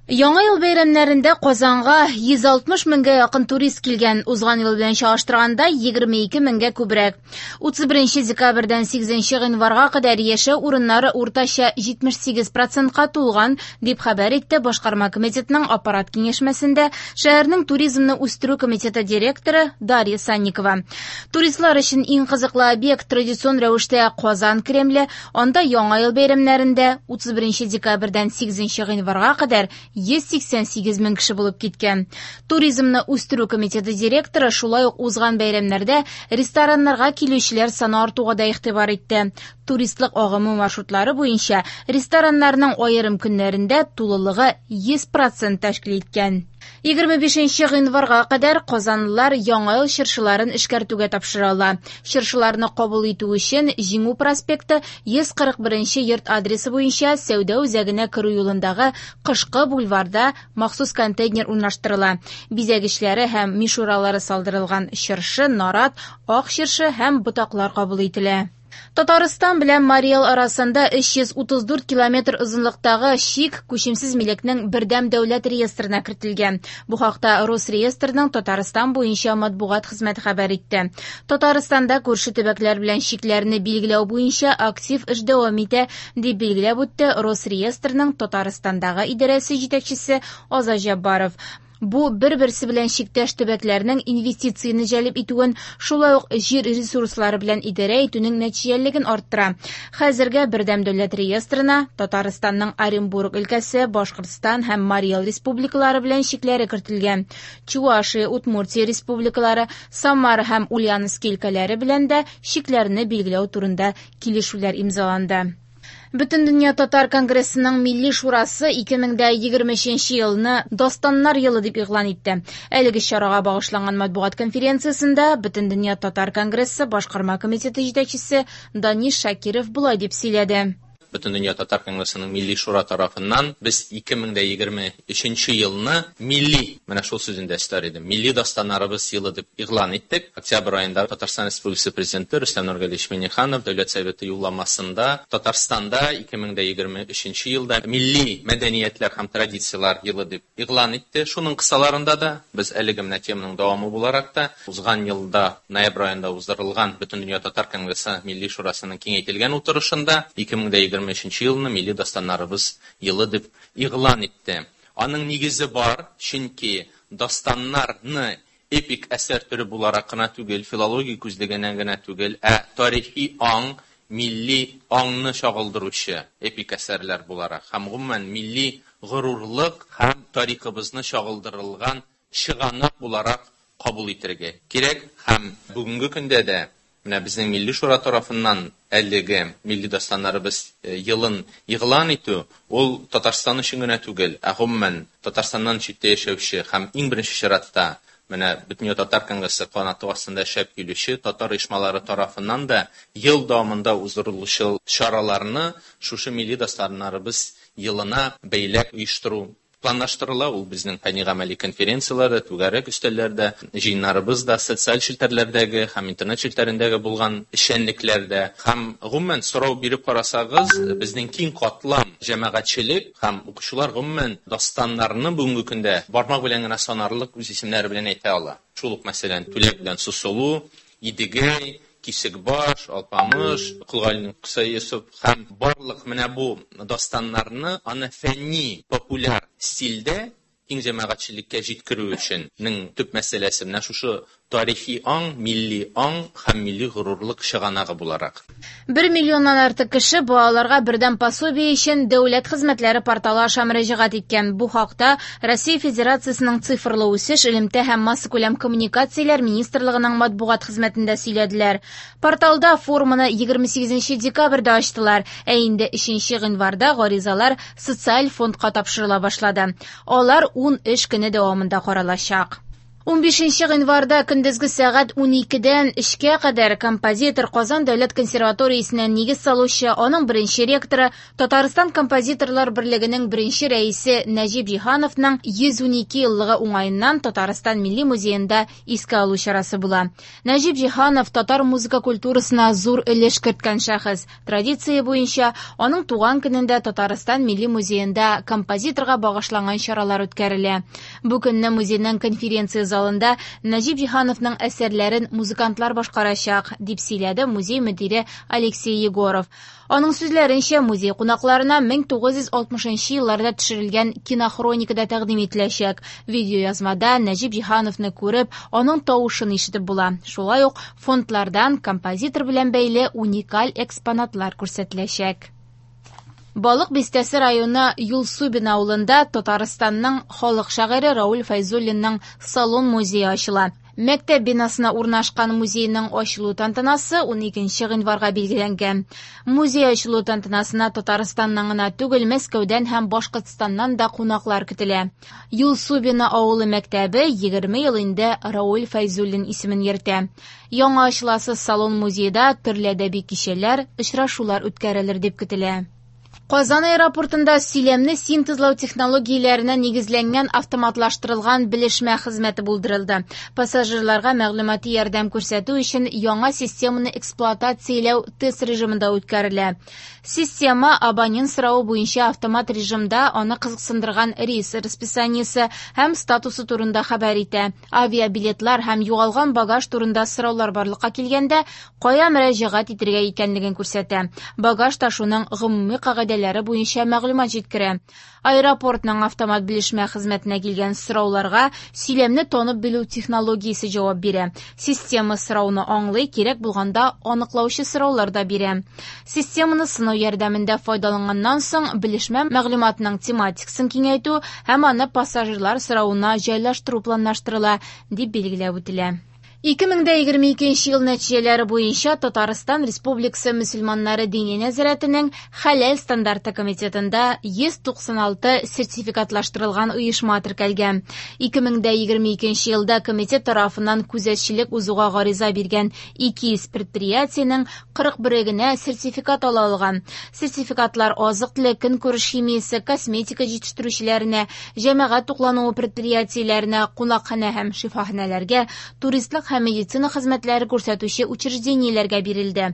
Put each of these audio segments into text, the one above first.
Яңа ел бәйрәмнәрендә Казанга 160 меңгә якын турист килгән. Узган ел белән чагыштырганда 22 меңгә күбрәк. 31 декабрьдән 8 гыйнварга кадәр яшәү урыннары уртача 78 процентка тулган, дип хәбәр итте Башкарма комитетның аппарат киңәшмәсендә шәһәрнең туризмны үстерү комитеты директоры Дарья Санникова. Туристлар өчен иң кызыклы объект традицион рәвештә Казан Кремле, анда Яңа ел бәйрәмнәрендә 31 декабрьдән 8 гыйнварга кадәр 188 мең кеше булып киткән. Туризмны үстерү комитеты директоры шулай ук узган бәйрәмнәрдә рестораннарга килүчеләр саны артуга да игътибар итте. Туристлык агымы маршрутлары буенча рестораннарның аерым көннәрендә тулылыгы 100% тәшкил иткән. 25 гыйнварга кадәр казанлылар Яңа ел чыршыларын эшкәртүгә тапшыра ала. Чыршыларны кабул итү өчен Җиңү проспекты 141 йорт адресы буенча сәүдә үзәгенә керү юлындагы Кышкы бульварда махсус контейнер урнаштырыла. Бизәгечләре һәм мишуралары салдырылган чыршы, нарат, ак чыршы һәм ботаклар кабул ителә. Татарстан белән Марий Эл арасында 334 километр озынлыктагы чик күчемсез милекнең бердәм дәүләт реестрына кертелгән. Бу хакта Росреестрның Татарстан буенча матбугат хезмәте хәбәр итте. Татарстанда күрше төбәкләр белән чикләрне билгеләү буенча актив эш дәвам итә, дип билгеләп үтте Росреестрның Татарстандагы идарәсе җитәкчесе Азат Җаббаров. Бу бер-берсе белән чиктәш төбәкләрнең инвестицияне җәлеп итүен, шулай ук җир ресурслары белән идарә итүнең нәтиҗәлелеген арттыра. Хәзергә бердәм дәүләт реестрына Татарстанның Оренбург өлкәсе, Башкортстан һәм Марий Эл республикалары белән чикләре кертелгән. Чувашия, Удмуртия республикалары, Самара һәм Ульяновский өлкәләре белән дә чикләрне билгеләү турында килешүләр имзаланды. Бөтендөнья татар конгрессының Милли шурасы 2023 елны Дастаннар елы дип игълан итте. Әлеге чарага багышланган матбугат конференциясендә Бөтендөнья татар конгрессы башкарма комитеты җитәкчесе Данис Шакиров болай дип сөйләде. Бөтендөнья татар конгрессының Милли шура тарафыннан без 2023 елны милли, менә шул сүзен дә өстәр идем, милли дастаннарыбыз елы дип игълан иттек. Октябрь аенда Татарстан Республикасы Президенты Рөстәм Нургалиевич Миңнеханов Дәүләт Советы юлламасында Татарстанда 2023 елда милли мәдәниятләр һәм традицияләр елы дип игълан итте. Шуның кысаларында да без әлеге менә теманың дәвамы буларак та узган елда ноябрь аенда уздырылган Бөтендөнья татар конгрессы Милли шурасының киңәйтелгән утырышында 2023 елны милли дастаннарыбыз елы дип игълан итте. Аның нигезе бар, чөнки дастаннарны эпик әсәр төре буларак кына түгел, филология күзлегеннән генә түгел, ә тарихи аң, милли аңны чагылдыручы эпик әсәрләр буларак һәм гомумән милли горурлык һәм тарихыбызны чагылдырылган чыганак буларак кабул итәргә кирәк. Һәм бүгенге көндә дә менә безнең Милли шура тарафыннан әлеге милли дастаннарыбыз елын игълан итү ул Татарстан өчен генә түгел, ә гомумән Татарстаннан читтә яшәүче һәм иң беренче чиратта менә Бөтендөнья татар конгрессы канаты астында эшләп килүче татар оешмалары тарафыннан да ел дәвамында уздырылучы чараларны шушы милли дастаннарыбыз елына бәйләп оештыру планлаштырыла. Ул безнең фәнни гамәли конференцияләрдә, түгәрәк өстәлләрдә, җыеннарыбызда, социаль челтәрләрдәге һәм интернет челтәрендәге булган эшчәнлекләрдә һәм гомумән сорау биреп карасагыз, безнең киң катлам җәмәгатьчелек һәм укучылар гомумән дастаннарны бүгенге көндә бармак белән генә санарлык үз исемнәре белән әйтә ала. Шул ук мәсәлән, Түләк белән Сусылу, Идегәй, Кисекбаш, Алпамыш, Колгалинең Кыса Йосыф һәм барлык менә бу дастаннарны аны фәнни популяр стильдә киң җәмәгатьчелеккә җиткерү өчен нең төп мәсьәләсе менә шушы тарихи аң, милли аң һәм милли горурлык чыганагы буларак. 1 миллионнан артык кеше балаларга бердәм пособие өчен дәүләт хезмәтләре порталы аша мөрәҗәгать иткән. Бу хакта Россия Федерациясенең цифрлы үсеш, элемтә һәм массакүләм коммуникацияләр министрлыгының матбугат хезмәтендә сөйләделәр. Порталда форманы 28 декабрьдә ачтылар, ә инде 3 гыйнварда гаризалар социаль фондка тапшырыла башлады. Алар 10 эш көне дәвамында каралачак. 15 гыйнварда көндезге сәгать 12-дән 3-кә кадәр композитор, Казан дәүләт консерваториясенә нигез салучы, аның беренче ректоры, Татарстан композиторлар берлегенең беренче рәисе Нәҗип Җиһановның 112 еллыгы уңаеннан Татарстан Милли музеенда искә алу чарасы була. Нәҗип Җиһанов татар музыка культурасына зур өлеш керткән шәхес. Традиция буенча, аның туган көнендә Татарстан Милли музеенда композиторга багышланган чаралар үткәрелә. Бу көнне музейның конференция залында Нәҗип Җиһановның әсәрләрен музыкантлар башкарачак, дип сөйләде музей мөдире Алексей Егоров. Аның сүзләренчә, музей кунакларына 1960 елларда төшерелгән кинохроника да тәкъдим ителәчәк. Видеоязмада Нәҗип Җиһановны күреп, аның тавышын ишетеп була. Шулай ук фондлардан композитор белән бәйле уникаль экспонатлар күрсәтеләчәк. Балык Бистәсе районы Юлсубин авылында Татарстанның халык шагыйре Рауль Фәйзуллинның салон музее ачыла. Мәктәп бинасына урнашкан музейның ачылу тантанасы 12 гыйнварга билгеләнгән. Музей ачылу тантанасына Татарстаннан гына түгел, Мәскәүдән һәм Башкортстаннан да кунаклар көтелә. Юлсубино авылы мәктәбе 20 ел инде Рауль Фәйзуллин исемен йөртә. Яңа ачыласы салон музейда төрле әдәби кичәләр, очрашулар үткәрелер дип көтелә. Казан аэропортында сөйләмне синтезлау технологияләренә нигезләнгән автоматлаштырылган белешмә хезмәте булдырылды. Пассажирларга мәгълүмати ярдәм күрсәтү өчен яңа системаны эксплуатацияләү тест режимында үткәрелә. Система абонент соравы буенча автомат режимда аны кызыксындырган рейс расписаниесе һәм статусы турында хәбәр итә. Авиабилетлар һәм югалган багаж турында сораулар барлыкка килгәндә, кая мөрәҗәгать итәргә икәнлеген күрсәтә. Багаж ташуның гомуми кагыйдәләре буенча мәгълүмат җиткерә. Аэропортның автомат белешмә хезмәтенә килгән сорауларга сөйләмне танып белү технологиясе җавап бирә. Система сорауны аңлый, кирәк булганда аныклаучы сораулар да бирә. Системаны сынау ярдәмендә файдаланганнан соң белешмә мәгълүматының тематикасын киңәйтү һәм аны пассажирлар соравына җайлаштыру планлаштырыла, дип билгеләп үтелә. 2022 ел нәтиҗәләре буенча Татарстан Республикасы мөселманнары дини нәзарәтенең Хәләл стандарты комитетында 196 сертификатлаштырылган оешма теркәлгән. 2022 елда комитет тарафыннан күзәтчелек узуга гариза биргән 200 предприятиенең 41-е генә сертификат ала алган. Сертификатлар азык-төлек, көнкүреш химиясе, косметика җитештерүчеләренә, җәмәгать туклануы предприятиеләренә, кунакханә һәм шифаханәләргә, туристлык һәм медицина хезмәтләре күрсәтүче учреждениеләргә бирелде.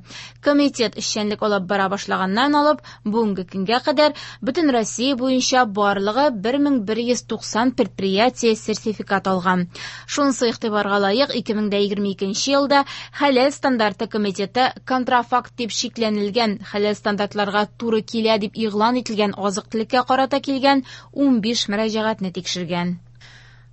Комитет эшчәнлек алып бара башлаганнан алып, бүгенге көнгә кадәр бөтен Россия буенча барлыгы 1190 предприятие сертификат алган. Шунысы игътибарга лаек, 2022 елда Хәләл стандарты комитеты контрафакт дип шикләнелгән хәләл стандартларга туры килә дип игълан ителгән азык-төлеккә карата килгән 15 мөрәҗәгатьне тикшергән.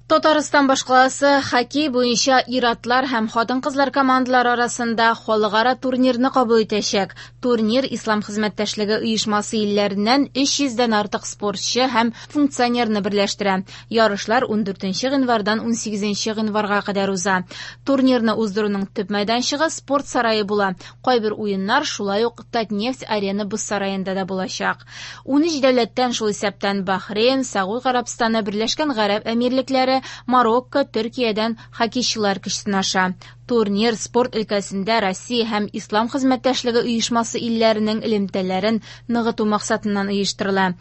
Татарстан башкаласы хоккей буенча ир-атлар һәм хатын-кызлар командалары арасында халыкара турнирны кабул итәчәк. Турнир Ислам хезмәттәшлеге оешмасы илләреннән 300дән артык спортчы һәм функционерны берләштерә. Ярышлар 14 гыйнвардан 18 гыйнварга кадәр уза. Турнирны уздыруның төп мәйданчыгы спорт сарае була. Кайбер уеннар шулай ук Татнефть арена боз сараенда да булачак. 13 дәүләттән, шул исәптән Бахрейн, Сәгуд Гарәбстаны, Берләшкән Гарәп Әмирлекләре, Марокко, Төркиядән хоккейчылар көч сынаша. Турнир спорт өлкәсендә Россия һәм Ислам хезмәттәшлеге оешмасы илләренең элемтәләрен ныгыту максатыннан оештырыла.